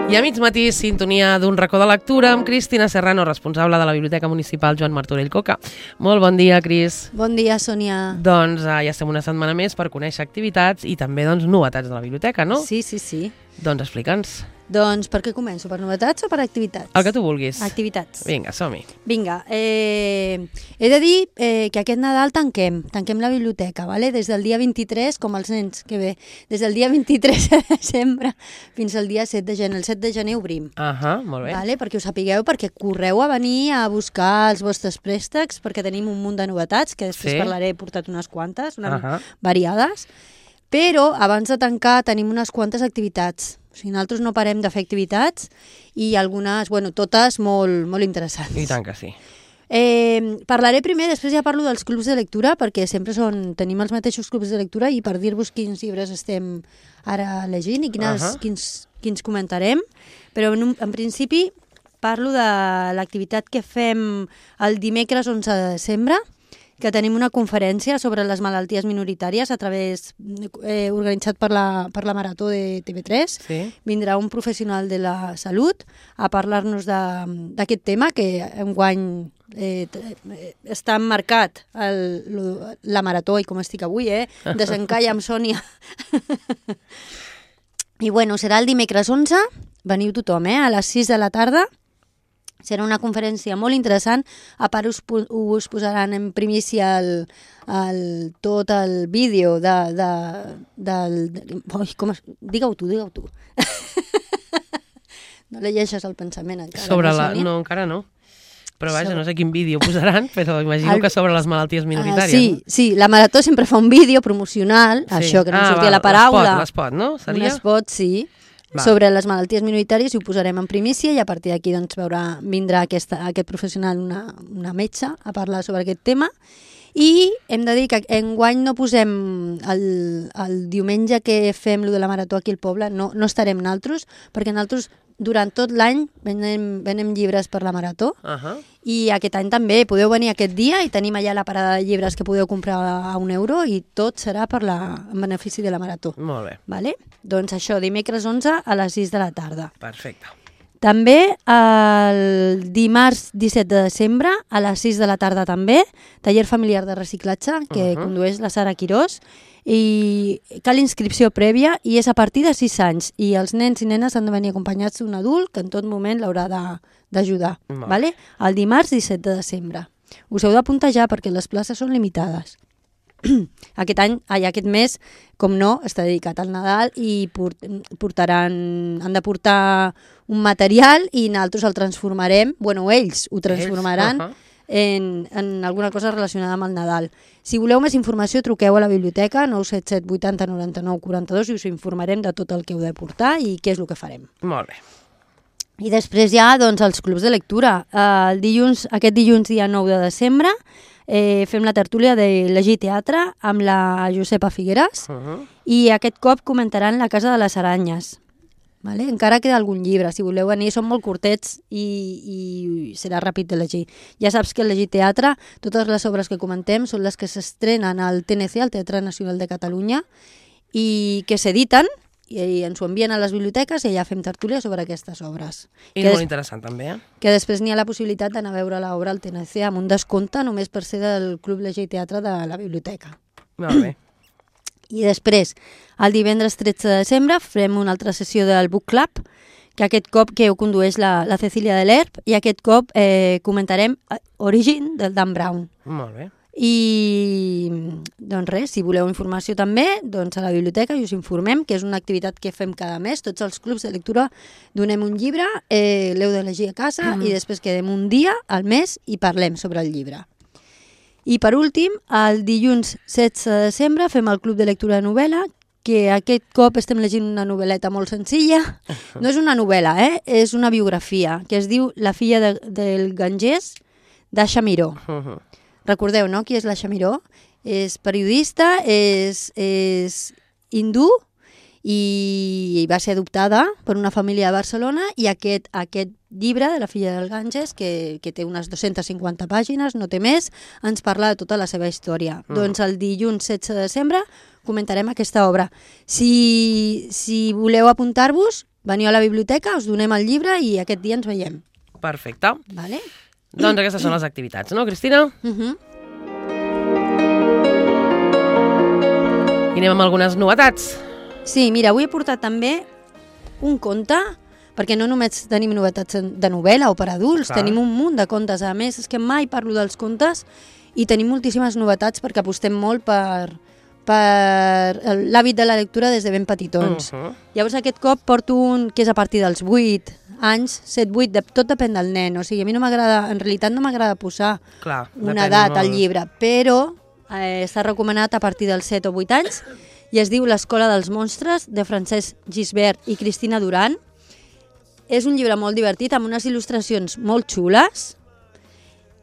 I a mig matí, sintonia d'un racó de lectura amb Cristina Serrano, responsable de la Biblioteca Municipal Joan Martorell Coca. Molt bon dia, Cris. Bon dia, Sònia. Doncs ja estem una setmana més per conèixer activitats i també novetats de la biblioteca, no? Sí. Doncs explica'ns. Doncs per què començo? Per novetats o per activitats? El que tu vulguis. Activitats. Vinga, som-hi. Vinga, he de dir que aquest Nadal tanquem la biblioteca, ¿vale? Des del dia 23, com els nens, que bé, des del dia 23 de desembre fins al dia 7 de gener. El 7 de gener obrim. Molt bé. Vale? Perquè ho sapigueu, perquè correu a venir a buscar els vostres préstecs, perquè tenim un munt de novetats, que després parlaré, he portat unes quantes, variades, però abans de tancar tenim unes quantes activitats. O sigui, nosaltres no parem de fer activitats i algunes, totes molt interessants. I tant que sí. Parlaré primer, després ja parlo dels clubs de lectura, perquè sempre tenim els mateixos clubs de lectura i per dir-vos quins llibres estem ara llegint i quins comentarem. Però en principi parlo de l'activitat que fem el dimecres 11 de desembre, que tenim una conferència sobre les malalties minoritàries organitzat per la Marató de TV3. Sí. Vindrà un professional de la salut a parlar-nos d'aquest tema, que enguany està marcat la Marató, i com estic avui, desencalla amb Sònia. I serà el dimecres 11, veniu tothom, a les 6 de la tarda. Serà una conferència molt interessant. A part us posaran en primícia tot el vídeo Digue-ho tu. No llegeixes el pensament encara. No, encara no. Però vaja, no sé quin vídeo posaran, però imagino que sobre les malalties minoritàries. Sí, la Marató sempre fa un vídeo promocional, això que no sortia la paraula. L'espot, no? Un espot, sí. Sobre les malalties minoritàries, i ho posarem en primícia, i a partir d'aquí vindrà aquest professional, una metge, a parlar sobre aquest tema. I hem de dir que enguany no posem el diumenge que fem lo de la Marató aquí al poble, no estarem naltros, perquè naltros durant tot l'any venem llibres per la Marató, i aquest any també podeu venir aquest dia i tenim allà la parada de llibres que podeu comprar a €1 i tot serà en benefici de la Marató. Molt bé. Vale? Doncs això, dimecres 11 a les 6 de la tarda. Perfecte. També el dimarts 17 de desembre a les 6 de la tarda també, taller familiar de reciclatge que condueix la Sara Quirós, i cal inscripció prèvia i és a partir de 6 anys i els nens i nenes han de venir acompanyats d'un adult que en tot moment l'haurà d'ajudar. Vale? El dimarts 17 de desembre. Us heu d'apuntar ja perquè les places són limitades. Aquest mes, com no, està dedicat al Nadal i han de portar un material i nosaltres el transformarem, ells ho transformaran en alguna cosa relacionada amb el Nadal. Si voleu més informació, truqueu a la biblioteca 977 80 99 42 i us informarem de tot el que heu de portar i què és el que farem. Molt bé. I després ja, els clubs de lectura. Aquest dilluns, dia 9 de desembre, fem la tertúlia de Llegir Teatre amb la Josepa Figueras i aquest cop comentaran La Casa de les Aranyes. Vale? Encara queda algun llibre, si voleu venir, són molt curtets i serà ràpid de llegir. Ja saps que al Llegir Teatre, totes les obres que comentem són les que s'estrenen al TNC, al Teatre Nacional de Catalunya, i que s'editen i ens ho envien a les biblioteques i allà fem tertúlia sobre aquestes obres. I molt interessant també, Que després n'hi ha la possibilitat d'anar a veure l'obra al TNC amb un descompte només per ser del Club Llegir Teatre de la biblioteca. Molt bé. I després, el divendres 13 de desembre, farem una altra sessió del Book Club, que aquest cop ho condueix la Cecília de l'Herb, i aquest cop comentarem Origin del Dan Brown. Molt bé. I res, si voleu informació també, a la biblioteca i us informem, que és una activitat que fem cada mes. Tots els clubs de lectura donem un llibre, l'heu de llegir a casa i després quedem un dia al mes i parlem sobre el llibre. I per últim, el dilluns 16 de desembre fem el club de lectura de novel·la, que aquest cop estem llegint una novel·leta molt senzilla. No és una novel·la, és una biografia, que es diu La filla del Ganges, d'Asha Miró. Recordeu, no?, qui és l'Asha Miró? És periodista, és hindú i va ser adoptada per una família de Barcelona, i aquest llibre de La filla del Ganges, que té unes 250 pàgines, no té més, ens parla de tota la seva història. Doncs el dilluns 16 de desembre comentarem aquesta obra. Si voleu apuntar-vos, veniu a la biblioteca, us donem el llibre i aquest dia ens veiem. Perfecte. Vale? Doncs aquestes són les activitats, no, Cristina? I anem amb algunes novetats. Sí, mira, avui he portat també un conte, perquè no només tenim novetats de novel·la o per adults, tenim un munt de contes. A més, és que mai parlo dels contes i tenim moltíssimes novetats perquè apostem molt per l'hàbit de la lectura des de ben petitons. Llavors aquest cop porto un que és a partir dels 8 anys, 7-8, tot depèn del nen. O sigui, a mi no m'agrada, en realitat no m'agrada posar una edat al llibre, però està recomanat a partir dels 7 o 8 anys i es diu L'escola dels monstres, de Francesc Gisbert i Cristina Duran. És un llibre molt divertit, amb unes il·lustracions molt xules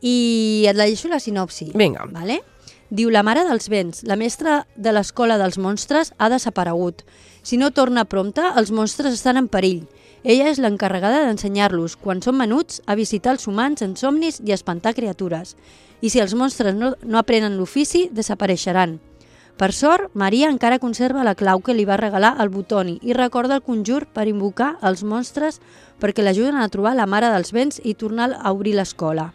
i et llegeixo la sinopsi. Vinga. Vale? Diu: la mare dels vents, la mestra de l'escola dels monstres, ha desaparegut. Si no torna prompte, els monstres estan en perill. Ella és l'encarregada d'ensenyar-los, quan són menuts, a visitar els humans en somnis i a espantar criatures. I si els monstres no aprenen l'ofici, desapareixeran. Per sort, Maria encara conserva la clau que li va regalar el Butoni i recorda el conjur per invocar els monstres perquè l'ajuden a trobar la mare dels vents i tornar a obrir l'escola.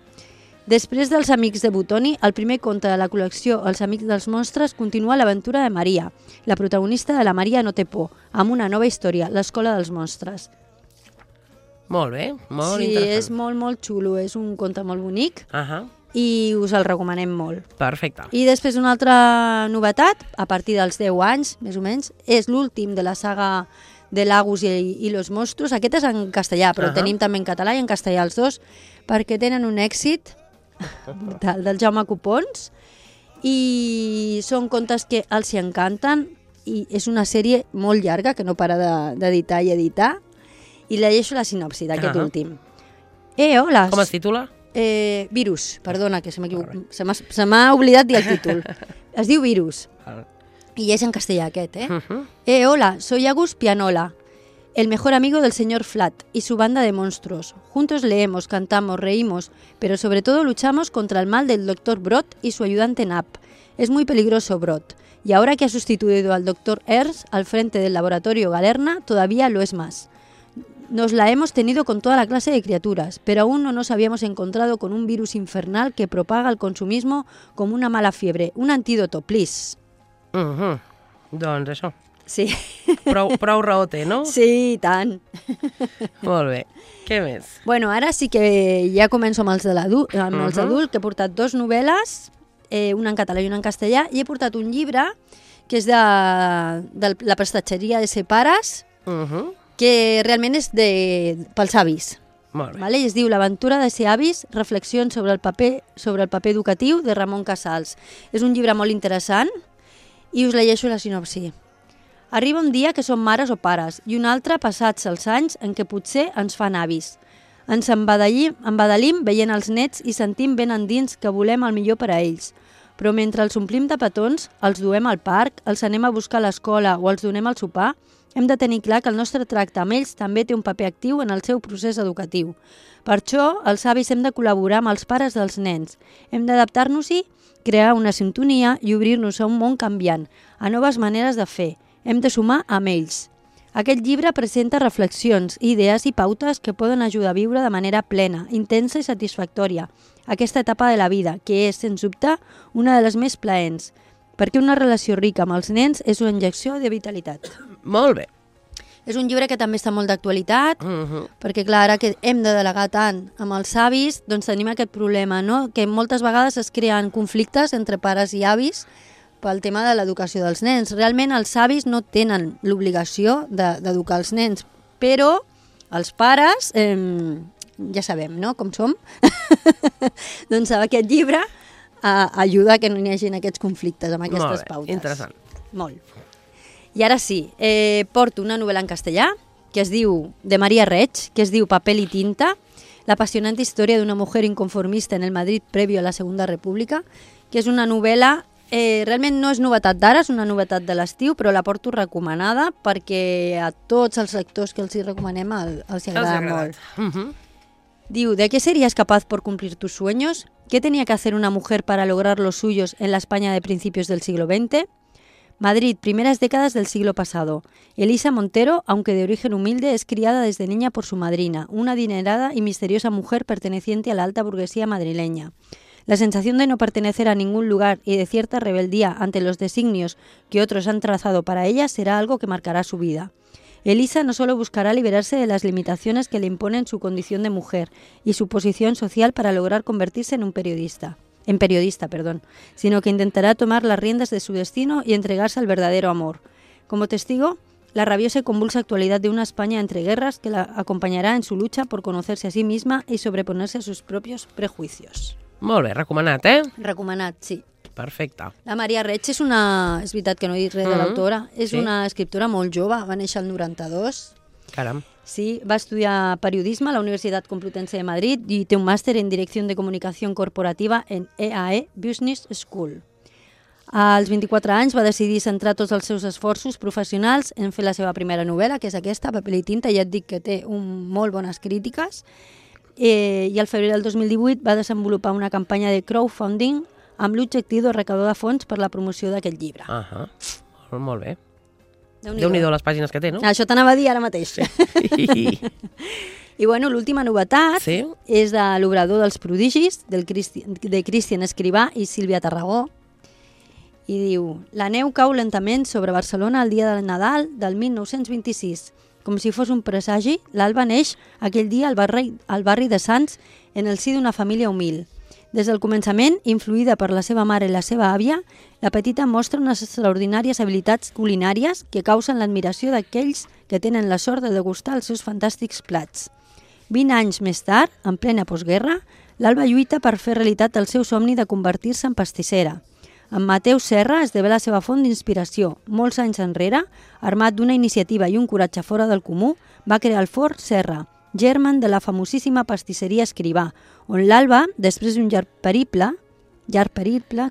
Després dels amics de Butoni, el primer conte de la col·lecció Els amics dels monstres continua l'aventura de Maria, la protagonista de La Maria no té por, amb una nova història, l'Escola dels monstres. Molt bé, molt interessant. Sí, és molt, molt xulo, és un conte molt bonic i us el recomanem molt. Perfecte. I després una altra novetat, a partir dels 10 anys, més o menys, és l'últim de la saga de Lagus i los monstruos. Aquest és en castellà, però tenim també en català i en castellà els dos, perquè tenen un èxit del Jaume Copons i són contes que els hi encanten i és una sèrie molt llarga que no para d'editar i editar. I llegeixo la sinopsi d'aquest últim. Hola. Com es titula? Virus, perdona, que se m'ha oblidat dir el títol. Es diu Virus. Y es en castellà aquest, hola, soy Agus Pianola, el mejor amigo del señor Flat y su banda de monstruos. Juntos leemos, cantamos, reímos, pero sobre todo luchamos contra el mal del Dr. Brot y su ayudante Nap. Es muy peligroso Brot, y ahora que ha sustituido al Dr. Ers al frente del laboratorio Galerna, todavía lo es más. Nos la hemos tenido con toda la clase de criaturas, pero aún no nos habíamos encontrado con un virus infernal que propaga el consumismo como una mala fiebre. Un antídoto, please. Doncs això. Sí. Prou raó té, no? Sí, i tant. Molt bé. Què més? Bueno, ara sí que ja començo amb els adults, que he portat 2 novel·les, una en català i una en castellà, i he portat un llibre que és de la prestatgeria de Separes, que realment és pels avis. Molt bé. Vale? I es diu L'aventura de ser avis, reflexions sobre el paper educatiu, de Ramon Casals. És un llibre molt interessant i us llegeixo la sinopsi. Arriba un dia que som mares o pares i un altre passats els anys en què potser ens fan avis. Ens embadalim veient els nets i sentim ben endins que volem el millor per a ells. Però mentre els omplim de petons, els duem al parc, els anem a buscar a l'escola o els donem al sopar, hem de tenir clar que el nostre tracte amb ells també té un paper actiu en el seu procés educatiu. Per això, els avis hem de col·laborar amb els pares dels nens. Hem d'adaptar-nos-hi, crear una sintonia i obrir-nos a un món canviant, a noves maneres de fer. Hem de sumar amb ells. Aquest llibre presenta reflexions, idees i pautes que poden ajudar a viure de manera plena, intensa i satisfactòria aquesta etapa de la vida, que és, sens dubte, una de les més plaents, perquè una relació rica amb els nens és una injecció de vitalitat. Molt bé. És un llibre que també està molt d'actualitat, perquè clar, ara que hem de delegar tant amb els avis, doncs tenim aquest problema, no? Que moltes vegades es creen conflictes entre pares i avis pel tema de l'educació dels nens. Realment els avis no tenen l'obligació d'educar els nens, però els pares, ja sabem, no?, com som, doncs aquest llibre ajuda que no hi hagi aquests conflictes amb aquestes pautes. Molt bé, interessant. Molt. I ara sí, porto una novel·la en castellà que es diu, de Maria Reig, que es diu Papel y tinta, la apasionante historia de una mujer inconformista en el Madrid previo a la Segunda República, que és una novel·la, realment no és novetat d'ara, és una novetat de l'estiu, però la porto recomanada perquè a tots els lectors que els hi recomanem els agrada molt. Diu, ¿de qué serías capaz por cumplir tus sueños? ¿Qué tenía que hacer una mujer para lograr los suyos en la España de principios del siglo XX? Madrid, primeras décadas del siglo pasado. Elisa Montero, aunque de origen humilde, es criada desde niña por su madrina, una adinerada y misteriosa mujer perteneciente a la alta burguesía madrileña. La sensación de no pertenecer a ningún lugar y de cierta rebeldía ante los designios que otros han trazado para ella será algo que marcará su vida. Elisa no solo buscará liberarse de las limitaciones que le imponen su condición de mujer y su posición social para lograr convertirse en periodista, sino que intentará tomar las riendas de su destino y entregarse al verdadero amor. Como testigo, la rabiosa y convulsa actualidad de una España entre guerras que la acompañará en su lucha por conocerse a sí misma y sobreponerse a sus propios prejuicios. Molt bé, recomanat, eh? Recomanat, sí. Perfecte. La Maria Reig és veritat que no he dit res de l'autora, és una escriptora molt jove, va néixer el 92. Caram. Sí, va estudiar periodisme a la Universitat Complutense de Madrid i té un màster en Direcció de Comunicació Corporativa en EAE Business School. Als 24 anys va decidir centrar tots els seus esforços professionals en fer la seva primera novel·la, que és aquesta, Paper i tinta, ja et dic que té molt bones crítiques, i al febrer del 2018 va desenvolupar una campanya de crowdfunding amb l'objectiu de recaudar fons per la promoció d'aquest llibre. Molt bé. Déu-n'hi-do les pàgines que té, no? Això t'anava a dir ara mateix. I bueno, l'última novetat és de l'Obrador dels prodigis, de Cristian Escrivà i Sílvia Tarragó. I diu: la neu cau lentament sobre Barcelona el dia del Nadal del 1926. Com si fos un presagi, l'alba neix aquell dia al barri de Sants en el si d'una família humil. Des del començament, influïda per la seva mare i la seva àvia, la petita mostra unes extraordinàries habilitats culinàries que causen l'admiració d'aquells que tenen la sort de degustar els seus fantàstics plats. 20 anys més tard, en plena postguerra, l'Alba lluita per fer realitat el seu somni de convertir-se en pastissera. En Mateu Serra esdevé la seva font d'inspiració. Molts anys enrere, armat d'una iniciativa i un coratge fora del comú, va crear el Forn Serra, germen de la famosíssima pastisseria Escrivà, on l'Alba, després d'un llarg periple,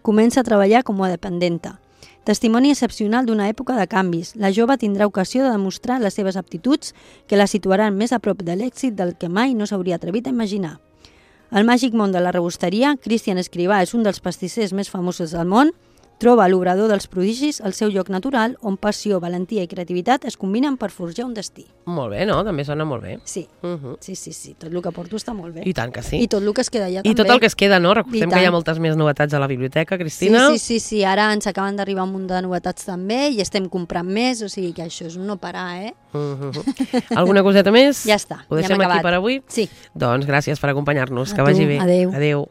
comença a treballar com a dependenta. Testimoni excepcional d'una època de canvis, la jove tindrà ocasió de demostrar les seves aptituds que la situaran més a prop de l'èxit del que mai no s'hauria atrevit a imaginar. Al màgic món de la rebosteria, Cristian Escrivà és un dels pastissers més famosos del món. Troba a l'Obrador dels prodigis el seu lloc natural, on passió, valentia i creativitat es combinen per forjar un destí. Molt bé, no? També sona molt bé. Sí, sí. Tot el que porto està molt bé. I tant que sí. I tot el que es queda allà també. I tot el que es queda, no? Recordem que hi ha moltes més novetats a la biblioteca, Cristina. Sí. Ara ens acaben d'arribar un munt de novetats també i estem comprant més, o sigui que això és un no parar, eh? Alguna coseta més? Ja està, Ho deixem aquí per avui? Sí. Doncs gràcies per acompanyar-nos. Que vagi bé. Adéu. Adéu.